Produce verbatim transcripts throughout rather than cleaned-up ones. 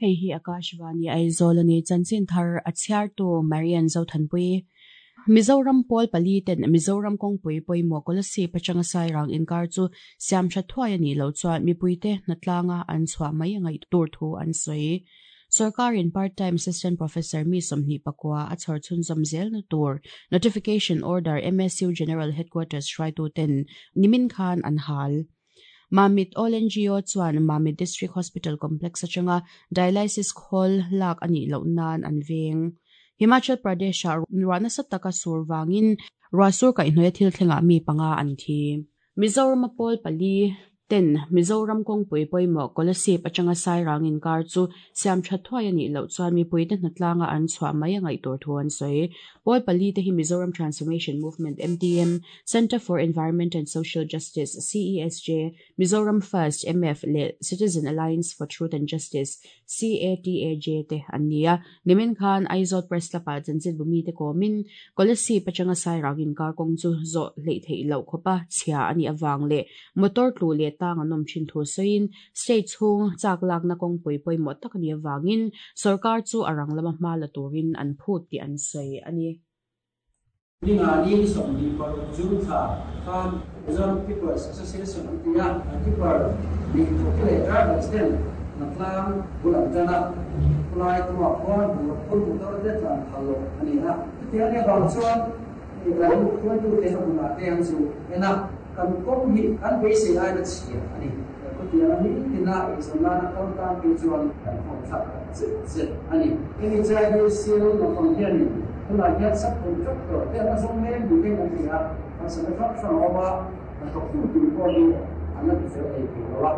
Hei hi Akashvani Aizawl ani chanchin thar a chhiartu Marian Zothanpui. Mizoram pawl pali ten Mizoram kawngpui pawimawh Kolasib atanga Sairang inkar chu siam tha thuai ani lo chuan mipuite hnatlanga an chhuah mai a ngaih tur thu an sawi. Sarkarin part-time assistant professor mi sawmhnih pakua a chhawr chhunzawm zel na tur notification order M S U General Headquarters hruaitu ten nimin khan an hal. Mamit All N G O chuan Mamit District Hospital Complex atanga dialysis khawl lak anih loh nan an veng. Himachal Pradesh ah ruah nasa taka sur wangin ruah sur kaihhnawih thil thlengah mi panga an thi. Mizoram pawl pali ten Mizoram kawngpui pawimawh Kolasib atanga Sairang inkar chu siam tha thuai anih loh chuan mipuite hnatlanga an chhuah mai a ngaih tur thu an sawi. Pawl pali te hi Mizoram Transformation Movement M T M, Center for Environment and Social Justice C E S J, Mizoram First M F leh Citizen Alliance for Truth and Justice C A T A J te an ni a. Nimin khan Aizawl Press Club ah chanchin bumi te kawmin Kolasib atanga Sairang inkar kawng chu zawh hleih theih loh khawpa chhia ani awang leh motor tlu leh tang an awm thin thu sawiin state chhung chak lakna kawngpui pawimawh tak ani awangin sarkar chu a rang lama hma la turin an phut tih an sawi ani. Ninga ni sawmhnih paruk June thla khan Mizoram Tippers Association an ti a, tipper nih thawk leh drivers ten hnatlang bul an tan a, khulai kawngah khuan bungraw phur motor te tlan phal loh ani a. Chutiang ania bang chuan kan hruaitute a hmunah te an zu en a, kan kawng hi kan beisei ai na chhia ani. Khutiang a ni tina eizawn nana kal tan phei chuan kan khawm thlak tak zet zet ani. Hemi chai hi sil naupang hianin tunah hian subcontractor te an la zawng mek ni ten kan hria a, harsatna hrang hrang a awm a, hnathawktu tur pawh hi an la ti fel thei thei lo a.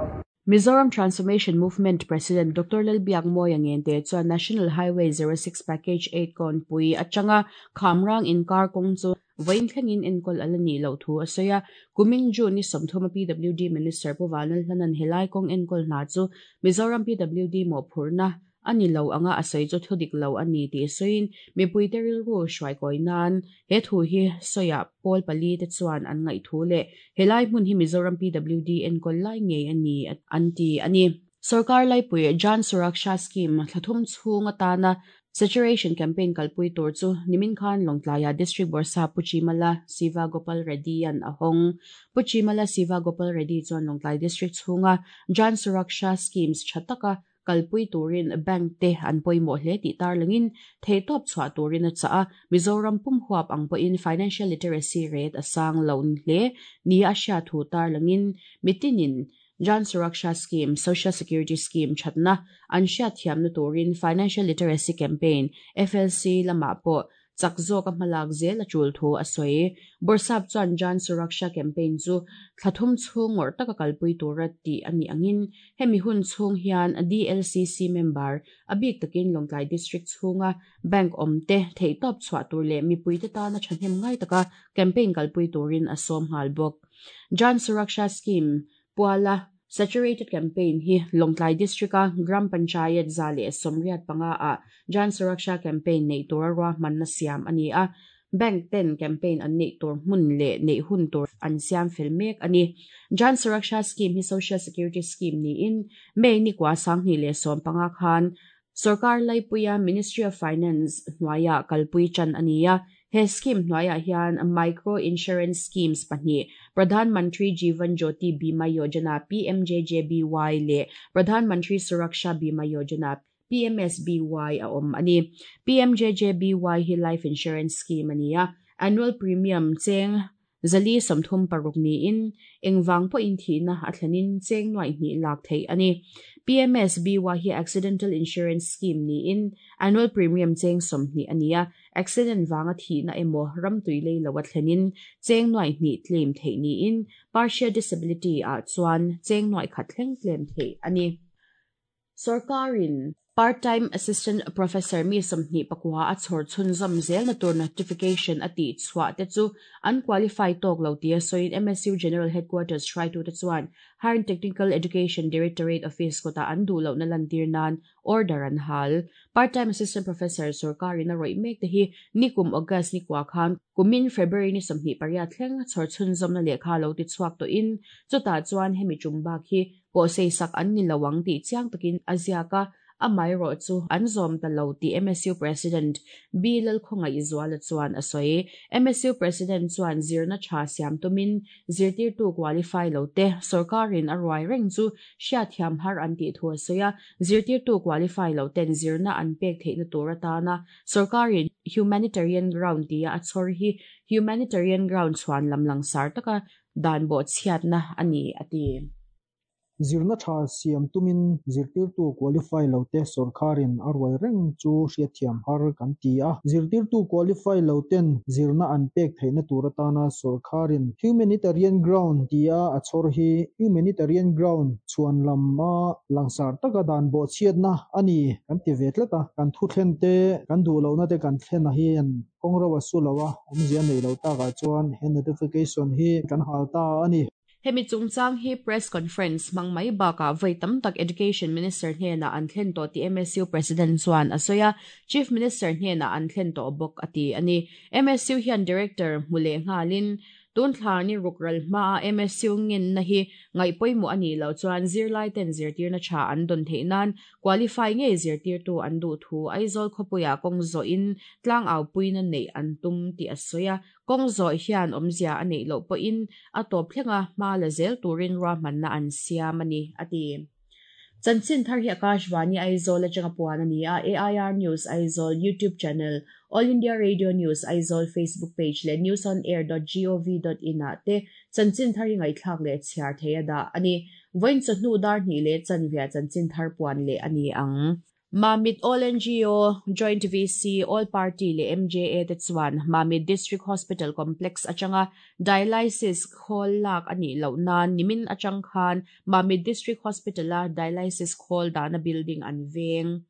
Mizoram Transformation Movement President Doctor Lalbiak Mawia Ngente chuan National Highway zero six Package eight kawnpui atanga Khamrang inkar kawng chu vawiin thlengin enkawl ala nih loh thu a sawi a. Kumin June ni sawmthum a P W D Minister Pu Vanlal hlanan helai kawng enkawl hna chu Mizoram P W D mawhphurhna ani lo anga a sawi chu thudik lo ani tih sawiin mipui te rilru hruai kawi nan he thu hi sawiah pawl pali te chuan an ngaih thu leh helai hmun hi Mizoram P W D enkawl lai ngei ani an ti ani. Sarkar Laipui Jan Suraksha Scheme thlathum chhung atana saturation campaign kalpui tur chu nimin khan Lawngtlaiah District Bawrhsap Pu Chimala Siva Gopal Reddy an a hawng. Pu Chimala Siva Gopal Reddy chuan Lawngtlai District chhunga Jan Suraksha Schemes tha taka kalpui turin bank te an pawimawh hle tih tarlangin theihtawp chhuah turin a chah a. Mizoram pum huap ang pawhin financial literacy rate a sang lo hle ni a hriat thu tarlangin mitinin Jan Suraksha Scheme, Social Security Scheme thatna an hriat thiamna turin Financial Literacy Campaign F L C lamah pawh chak zawk a hmalak zel a tul thu a sawi. Bawrhsap chuan Jan Suraksha campaign chu thlathum chhung ngawrh taka kalpui tura tih ani angin hemi hun chhung hian D L C C member a bik takin Lawngtlai District chhunga bank awm te theihtawp chhuah tur leh mipui te tana thahnem ngai taka campaign kalpui turin a sawm nghal bawk. Jan Suraksha Scheme puala saturated campaign hi Lawngtlai District a Gram Panchayat za leh sawmriat panga ah Jan Suraksha campaign nei tura ruahmanna siam ani a. Bank ten campaign an nei tur hmun leh nei hun tur an siam fel mek ani. Jan Suraksha Scheme hi Social Security Scheme niin May ni kwa sanghnih leh sawm panga khan Sarkar Laipuia Ministry of Finance hnuaia kalpui chan ani a. He scheme hnuaiah hian micro insurance schemes pahnih, Pradhan Mantri Jeevan Jyoti Bima Yojana P M J J B Y leh Pradhan Mantri Suraksha Bima Yojana P M S B Y a awm ani. P M J J B Y hi life insurance scheme ani a, annual premium cheng zali sawmthum paruk niin engwang pawh in thihna a thlenin cheng nuai hnih lak theih ani. P M S B Y hi accidental insurance scheme niin annual premium cheng sawmhnih ani a, accident wanga thihna emaw ramtui lei lo a thlenin cheng nuai hnih claim theih niin partial disability ah chuan cheng nuai khat thleng claim theih ani. Sarkarin part-time assistant professor mi sawmhnih pakua a chhawr chhunzawm zel na tur notification a tih chhuah te chu an qualify tawk lo tia sawiin M S U General Headquarters hruaitu te chuan Higher and Technical Education Directorate Office kawtah an duh lohna lantir nan order an hal. Part-time assistant professor sarkarin a rawih mek te hi nikum August ni kwa khan kumin February ni sawmhnih pariat thleng chhawr chhunzawmna lehkha lo ti chhuak tawhin chutah chuan hemi tum bak hi pawh sei sak an ni lo ang tih chiang takin a ziak a. Amai ro chu an zom ta lo ti M S U President B Lalkhawngaih Zuala chuan a sawi. M S U President chuan zirna tha siam tumin zirtir tu qualify lo te sarkarin a ruai reng chu hria thiam har an ti thu a sawi a. Zirtir tu qualify lo ten zirna an pek theihna tur atana sarkarin humanitarian ground tia a chhor hi humanitarian ground chuan lamlang sar taka dan bo chhiat na ani ati. Zirna tha siam tumin zirtir tu qualify lo te sarkarin a ruai reng chu hria thiam har kan ti a. Zirtir tu qualify lo ten zirna an pek theihna tur atana sarkarin humanitarian ground tia a chhor hi humanitarian ground chuan lamma langsar taka dan bo chhiat na ani kan ti ve tlata. Kan thu thlen te kan du lo na te kan thlen a hian kawng su lawa awmzia nei lo taka chuan he notification hi kan hal ta ani. Hemi chungchang hi press conference mangmai baka vai tam tak Education Minister hnena an thlen to ti M S U President chuan a sawi a. Chief Minister hnena an thlen to bawk ati ani. M S U hian Director hmule nghalin tun thlani rukral ma M S U ngin na hi ngai poimo ani lo chuan zirlai ten zirtir na tha an don theinan qualify nge zirtir tu an du thu Aizawl khopuya kong zo in tlang au puina nei an tum ti asoya. Kong zo hian omzia ani lo po in atop thlenga ma la zel turin ra man na an siam ani ati. Chanchin thar hi Akashvani Aizawl atanga puan ani a. A I R News Aizawl YouTube channel, All India Radio News Aizawl Facebook page le news on air dot gov dot in a te chanchin thar hi ngai thlak le chhiar theia da ani. Voin chawhnu dar hnih le chanvia chanchin thar puan le ani ang. Mamit All N G O, Joint V C, All Party le M J A te chuan Mamit District Hospital Complex atanga dialysis khol lak ani lo nan nimin atang khan Mamit District Hospital a dialysis khol dana building an veng.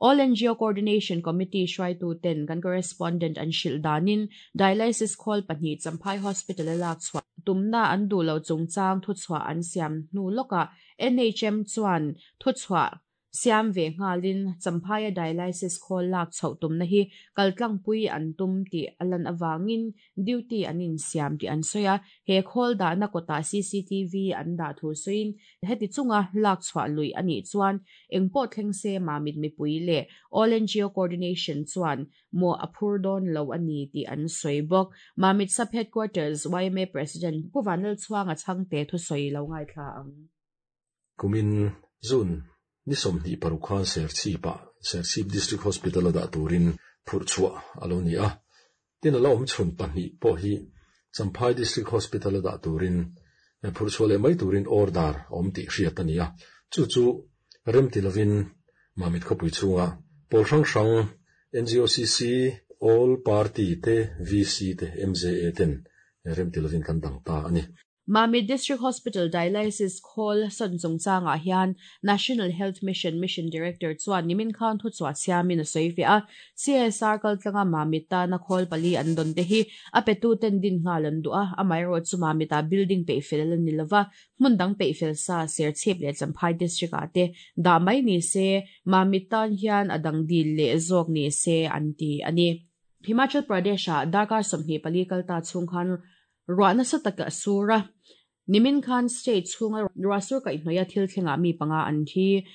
All N G O Coordination Committee hruai tu ten kan correspondent an hril danin dialysis khol pahnih Champhai Hospital a lak chhuah tumna an du lo chungchang thu chhuah an siam hnu lawka N H M chuan thu chhuah siam ve nghalin Champhai dialysis khol lak chho tumna hi kaltlang pui an tum ti alan awangin duty anin siam ti an soya. He khol da na kota C C T V an da thu soin heti chunga lak chhuah lui ani chuan engpo thleng se Mamit mipui le All N G O Coordination chuan mo aphur don lo ani ti an soi bawk. Mamit Sub Headquarters Y M A President Puvanal chuanga changte thu soi lo ngai thla ang. Kumin zun ni somni parukhan Serchhipa Serchhip District Hospital da turin phurchua alo ni a. Tin ala awm chhun pahnih pawh hi Champhai District Hospital da turin phurchua leh mai turin order awm tih hriat ani a. Chu chu rem ti lovin Mamit khawpui chhunga pawl hrang hrang N G O C C All Party te V C te M J A ten rem ti lovin kan dang ta ani. Mamit District Hospital Dialysis Khol son chungchanga hian National Health Mission Mission Director chuan nimin khan thu chua siamin a sawi ve a. C S R kaltlanga Mamit ta na khol pali an don te hi a petu ten din ngal an du a. Amai ro chu Mamita building pe fel an nilova hmun dang pe fel sa Serchhip le Champhai District a te da mai ni se Mamit tan hian adang dil le zawk ni se an ti ani. Himachal Pradesh a darkar sawmhnih pali kalta chhung khan ruahna sa taka sura nimin khan state chhunga ruahsur kaihhnawih thil thlenga mi panga an thi.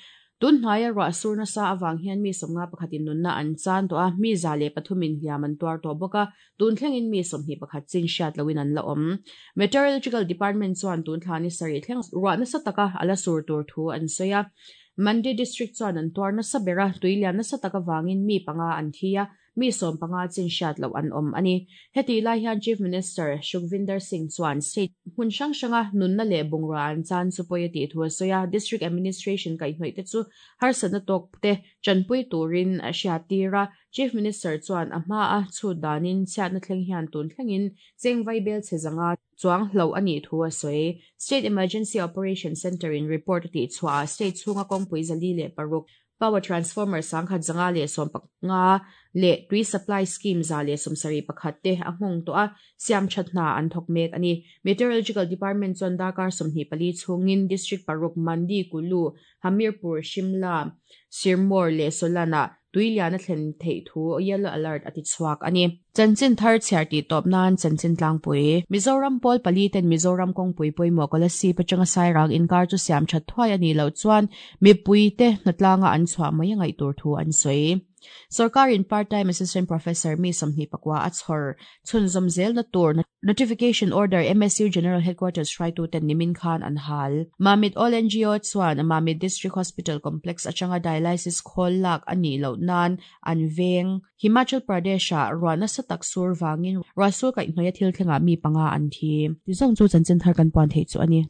Tun hnaia ruahsur nasa awang hian mi sawmnga pakhatin nunna an chan tawh a, mi za leh pathumin hliam an tuar tawh bawk a. Tun thlengin mi sawmhnih pakhat chin hriat loin an la awm. Meteorological Department chuan tun thlani sarih thleng ruahna sa taka ala sur tur thu an sawi a. Mandi District chuan an tuar nasa bera tuilian nasa taka wangin mi panga an thi a, mi som panga chin hriat lo an awm ani. Heti lai hian Chief Minister Sukhvinder Singh chuan state hmun hrang hranga nunna leh bungrua an chan chu pawi a tih thu a sawi a. District Administration kaihhnawih te chu harsatna tawk te chanpui turin a hriat tir a. Chief Minister chuan a hma a chhut danin chhiatna thleng hian tun thlengin chengvai bel che zanga chuang hlo ani thu a sawi. State Emergency Operation Center in report a tih chhuah state chhunga kawngpui zali leh paruk power transformer sangkhat zanga le som paknga le tui supply scheme za le somsari pakhat te a hmong to a siam thatna an thok mek ani. Meteorological Department chuan darkar sawmhnih pali chhungin district paruk Mandi, Kulu, Hamirpur, Shimla, Sirmaur le Solana tuilian a thlen theih thu yellow alert ati chhuak ani. Chanchin thar chhiar ti tawp nan chanchin tlangpui. Mizoram Pawl pali ten Mizoram kawngpui pawimawh Kolasib atanga Sairang inkar chu siam that thuai a nih loh chuan mipui te hnatlanga an chhuah mai a ngaih tur thu an sawi. Sarkarin part-time assistant professor mi sawmhnih pakua a chhawr chhunzawm zel na tur notification order M S U General Headquarters hruaitu ten nimin khan an hal. Mamit All N G O chuan Mamit District Hospital Complex atanga dialysis khawl lak a nih loh nan an veng. Himachal Pradesh ah ruah nasa tak sur wangin ruahsur kaihhnawih a thil thlengah mi panga an thi. Tizawng chu chanchin thar kan puan theih chu a ni.